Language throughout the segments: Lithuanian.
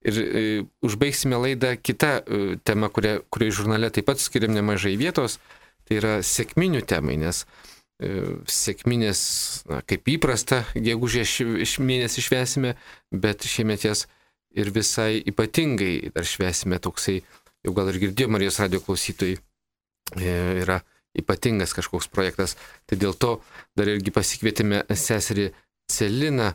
Ir užbaigsime laidą kitą temą, kuriai žurnale taip pat skiriam nemažai vietos, tai yra sekminių temai, nes sekminės, kaip įprasta, gegužės mėnesį švęsime, bet šiemet jas ir visai ypatingai dar švęsime, toksai, jau gal ir girdėjo Marijos radio klausytojai, yra ypatingas kažkoks projektas. Tai dėl to dar irgi pasikvietėme seserį Celiną.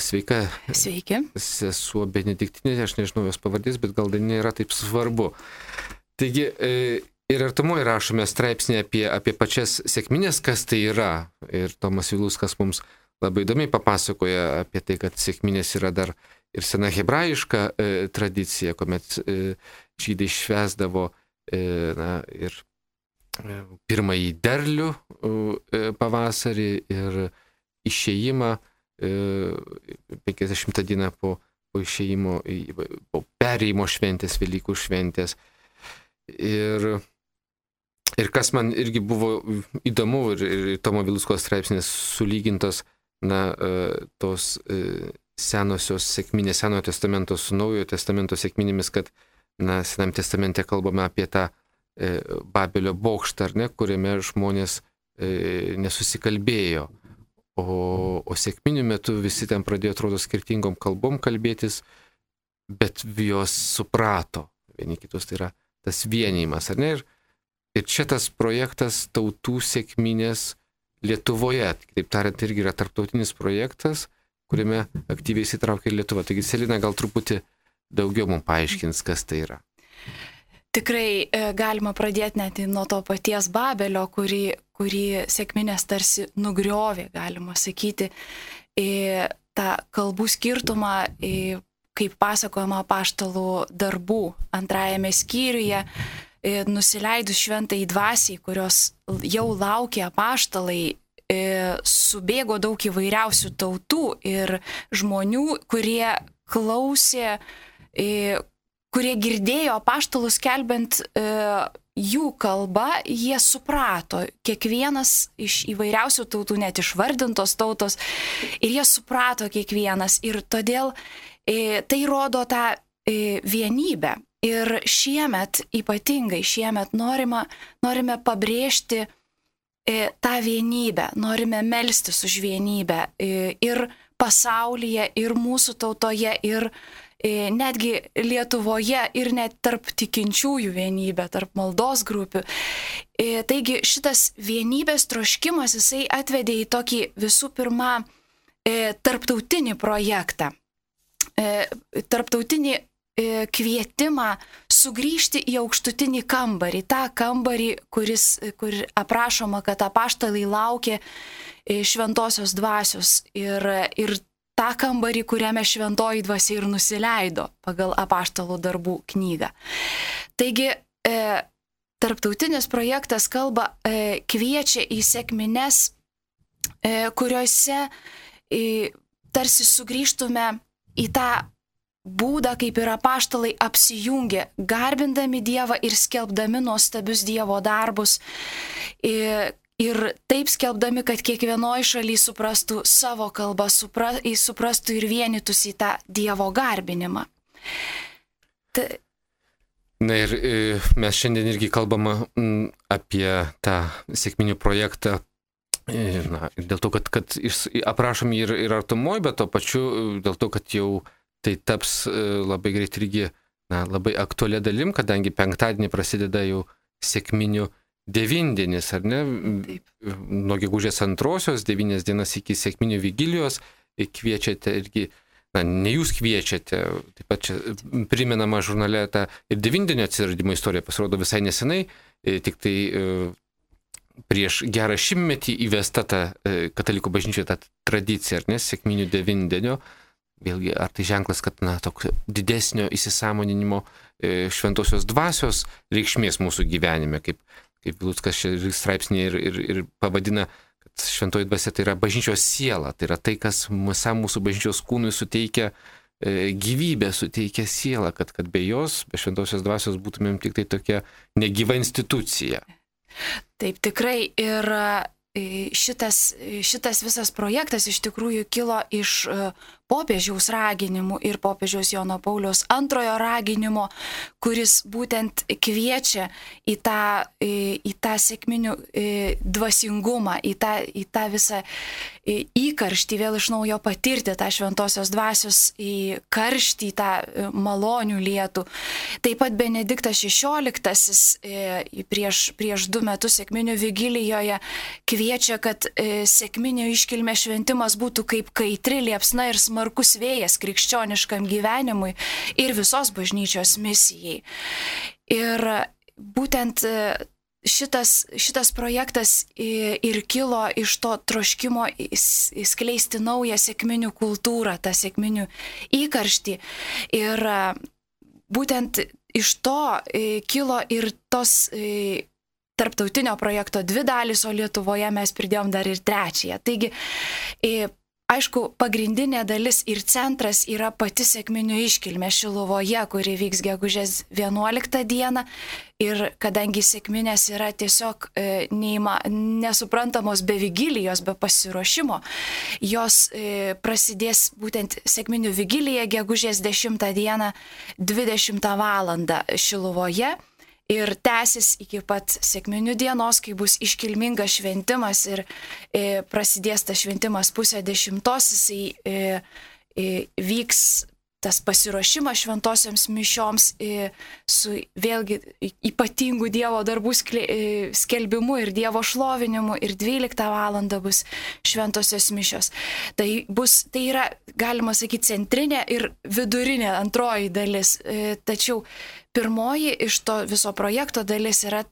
Sveika. Sveiki. Sesuo Benediktinė, aš nežinau jos pavardės, bet gal dar nėra taip svarbu. Taigi, ir artumoje rašome straipsnį apie pačias sekminės, kas tai yra. Ir Tomas Viluskas mums labai įdomiai papasakoja apie tai, kad sekminės yra dar ir sena hebrajiška tradicija, kuomet žydai švęsdavo ir pirmąjį derlių pavasarį ir išėjimą 50 dieną po išėjimo, po perėjimo šventės, Velykų šventės. Ir kas man irgi buvo įdomu, ir Tomo Vilusko straipsnės sulygintos, tos senosios sekminės, Senojo testamento su Naujojo testamento sekminėmis, kad, Senam testamente kalbame apie tą Babelio bokštą, ar ne, kuriame žmonės nesusikalbėjo. O sekminių metu visi ten pradėjo, atrodo, skirtingom kalbom kalbėtis, bet jos suprato vieni kitus, tai yra tas vienijimas, ar ne? Ir čia tas projektas tautų sekminės Lietuvoje, taip tariant, irgi yra tarptautinis projektas, kuriame aktyviai įsitraukia ir Lietuva. Taigi, Celina gal truputį daugiau mums paaiškins, kas tai yra. Tikrai galima pradėti net nuo to paties Babelio, kurį sekminės tarsi nugriovė, galima sakyti, tą kalbų skirtumą, kaip pasakojama apaštalų darbų 2 skyriuje, nusileidus šventai dvasiai, kurios jau laukia apaštalai, subėgo daug įvairiausių tautų ir žmonių, kurie klausė, kurie girdėjo apaštalus skelbiant jų kalbą, jie suprato, kiekvienas iš įvairiausių tautų, net išvardintos tautos, ir jie suprato kiekvienas. Ir todėl tai rodo tą vienybę. Ir ypatingai šiemet norime pabrėžti tą vienybę, norime melstis už vienybę ir pasaulyje, ir mūsų tautoje, ir netgi Lietuvoje, ir net tarp tikinčiųjų vienybę, tarp maldos grupių. Taigi šitas vienybės troškimas, jisai atvedė į tokį visų pirma tarptautinį projektą, tarptautinį kvietimą sugrįžti į aukštutinį kambarį, tą kambarį, kur aprašoma, kad apaštalai laukė šventosios dvasios ir tą kambarį, kuriame šventoji dvasia ir nusileido pagal apaštalų darbų knygą. Taigi, tarptautinis projektas kviečia į sekmines, kuriuose tarsi sugrįžtume į tą būdą, kaip ir apaštalai apsijungė, garbindami Dievą ir skelbdami nuostabius Dievo darbus. Ir taip skelbdami, kad kiekvienoje šalyje suprastų savo kalbą, suprastų ir vienytųsi į tą Dievo garbinimą. Na ir mes šiandien irgi kalbame apie tą sekminių projektą. Dėl to, kad aprašom ir artumoje, bet to pačiu dėl to, kad jau tai taps labai greit irgi labai aktualia dalim, kadangi penktadienį prasideda jau sekminių devindienis, ar ne? Taip. Nuo gegužės 2, 9 dienas iki sekminių vigilijos kviečiate irgi, ne jūs kviečiate, taip pat čia primenama žurnale tą ir devindienio atsiradimo istorija pasirodo visai nesenai, tik tai prieš gerą 100-metį įvesta ta katalikų bažnyčioje ta tradicija, ar ne, sekminių devindienio. Vėlgi, ar tai ženklas, kad toks didesnio įsisąmoninimo šventosios dvasios reikšmės mūsų gyvenime, kaip Viluskas straipsnėje ir pavadina, kad šventoji dvasia tai yra bažnyčios siela, tai yra tai, kas visam mūsų bažnyčios kūnui suteikia gyvybę, suteikia sielą, kad be jos, be šventosios dvasios būtumėm tik tai tokia negyva institucija. Taip, tikrai. Ir šitas visas projektas iš tikrųjų kilo iš popiežiaus raginimu ir popiežiaus Jono Pauliaus II raginimo, kuris būtent kviečia į tą sekminių dvasingumą, į tą visą įkarštį, vėl iš naujo patirti tą šventosios dvasios į karštį, tą malonių lietų. Taip pat Benediktas XVI prieš 2 metus sekminių vigilijoje kviečia, kad sekminių iškilmė šventimas būtų kaip kaitri liepsna ir smarkus vėjas krikščioniškam gyvenimui ir visos bažnyčios misijai. Ir būtent šitas projektas ir kilo iš to troškimo skleisti naują sekminių kultūrą, tą sekminių įkarštį. Ir būtent iš to kilo ir tos tarptautinio projekto 2 dalys, o Lietuvoje mes pridėjom dar ir 3. Taigi, aišku, pagrindinė dalis ir centras yra pati sekminių iškilmė Šiluvoje, kuri vyks gegužės 11 dieną. Ir kadangi sekminės yra tiesiog nesuprantamos be vigilijos, be pasiruošimo, jos prasidės būtent sekminių vigilija gegužės 10 dieną 20 valandą Šiluvoje. Ir tęsis iki pat sekminių dienos, kai bus iškilmingas šventimas ir prasidės tas šventimas 9:30, jisai vyks tas pasiruošimas šventosioms mišioms su vėlgi ypatingų Dievo darbų skelbimu ir Dievo šlovinimu ir 12 valandą bus šventosios mišios. Tai yra, galima sakyti, centrinė ir vidurinė antroji dalis. Tačiau pirmoji iš to viso projekto dalis yra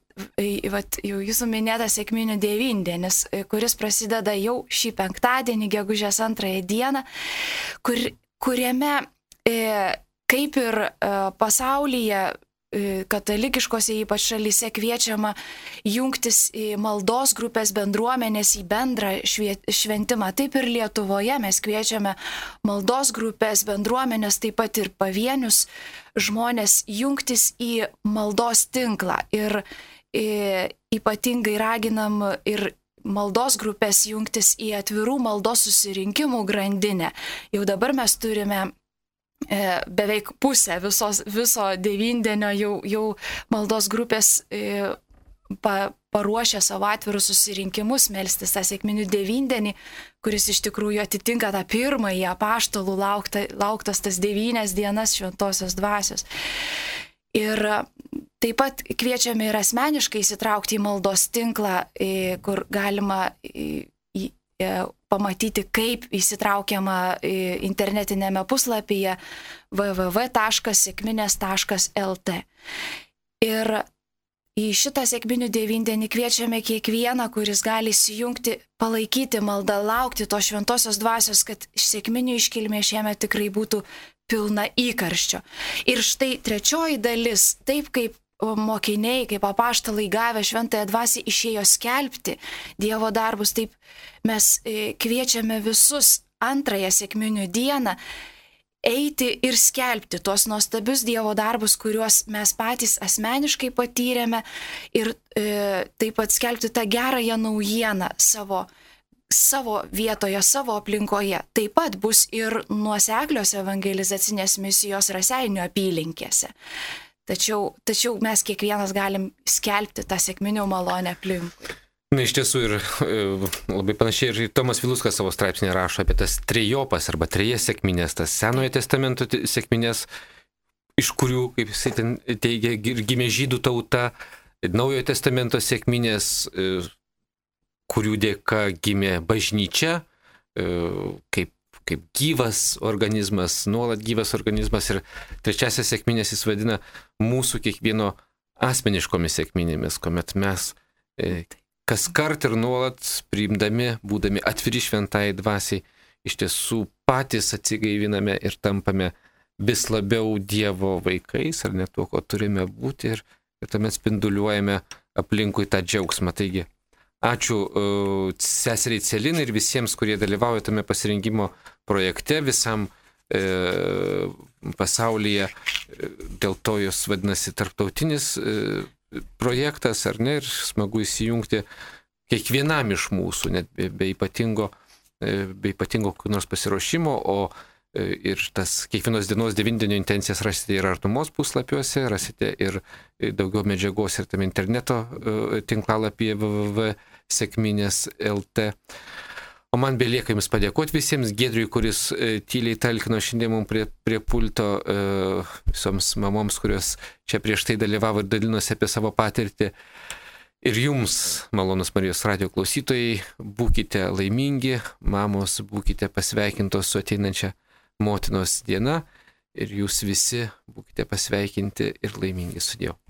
jau jūsų minėta sekminių devindienis, kuris prasideda jau šį penktadienį, gegužės 2 dieną, kuriame kaip ir pasaulyje, katalikiškose ypač šalyse kviečiama jungtis į maldos grupės bendruomenės į bendrą šventimą. Taip ir Lietuvoje mes kviečiame maldos grupės bendruomenės, taip pat ir pavienius žmonės jungtis į maldos tinklą. Ir ypatingai raginam ir maldos grupės jungtis į atvirų maldos susirinkimų grandinę. Jau dabar mes turime beveik pusę viso devindienio jau maldos grupės paruošė savo atvirus susirinkimus melstis tą sekminių devindienį, kuris iš tikrųjų atitinka tą pirmąjį apaštalų lauktas tas 9 dienas šventosios dvasios. Ir taip pat kviečiame ir asmeniškai įsitraukti į maldos tinklą, kur galima pamatyti, kaip įsitraukiama internetinėme puslapyje www.sekminės.lt. Ir į šitą sekminių devindienį kviečiame kiekvieną, kuris gali įsijungti, palaikyti maldą, laukti tos šventosios dvasios, kad sekminių iškilmė šiemet tikrai būtų pilna įkarščio. Ir štai 3 dalis, taip kaip mokiniai, kaip apaštalai gavę šventąją dvasią išėjo skelbti Dievo darbus, taip mes kviečiame visus 2 sekminių dieną eiti ir skelbti tuos nuostabius Dievo darbus, kuriuos mes patys asmeniškai patyrėme, ir taip pat skelbti tą gerąją naujieną savo vietoje, savo aplinkoje. Taip pat bus ir nuoseklios evangelizacinės misijos Raseinių apylinkėse. Tačiau mes kiekvienas galim skelbti tą sekminių malonę aplinkui. Na, iš tiesų ir labai panašiai ir Tomas Viluskas savo straipsnį rašo apie tas trejopas arba 3 sekminės, tas Senojo testamento sekminės, iš kurių, kaip jisai ten teigia, gimė žydų tauta, Naujojo testamento sekminės, kurių dėka gimė bažnyčia, kaip gyvas organizmas, nuolat gyvas organizmas, ir 3 sekminės jis vadina mūsų kiekvieno asmeniškomis sekminėmis, kuomet mes kas kart ir nuolat priimdami, būdami atviri šventai dvasiai, iš tiesų patys atsigaiviname ir tampame vis labiau Dievo vaikais, ar net tuo, ko turime būti, ir tuomet spinduliuojame aplinkui tą džiaugsmą. Taigi, ačiū seseriai Celinai ir visiems, kurie dalyvauja tame pasirinkimo projekte, visam pasaulyje, dėl to jos vadinasi tarptautinis projektas, ar ne, ir smagu įsijungti kiekvienam iš mūsų, net be ypatingo kokių nors pasiruošimo, o Ir tas kiekvienos dienos 9-dienio intencijas rasite ir artumos puslapiuose, rasite ir daugiau medžiagos ir tam interneto tinklalapyje www.sekminės.lt. O man belieka Jums padėkoti visiems, Giedriui, kuris tyliai talkino šiandien mums prie pulto, visoms mamoms, kurios čia prieš tai dalyvavo ir dalinosi apie savo patirtį. Ir Jums, malonus Marijos radijo klausytojai, būkite laimingi, mamos, būkite pasveikintos su ateinančia motinos diena ir Jūs visi būkite pasveikinti ir laimingi su Dievu.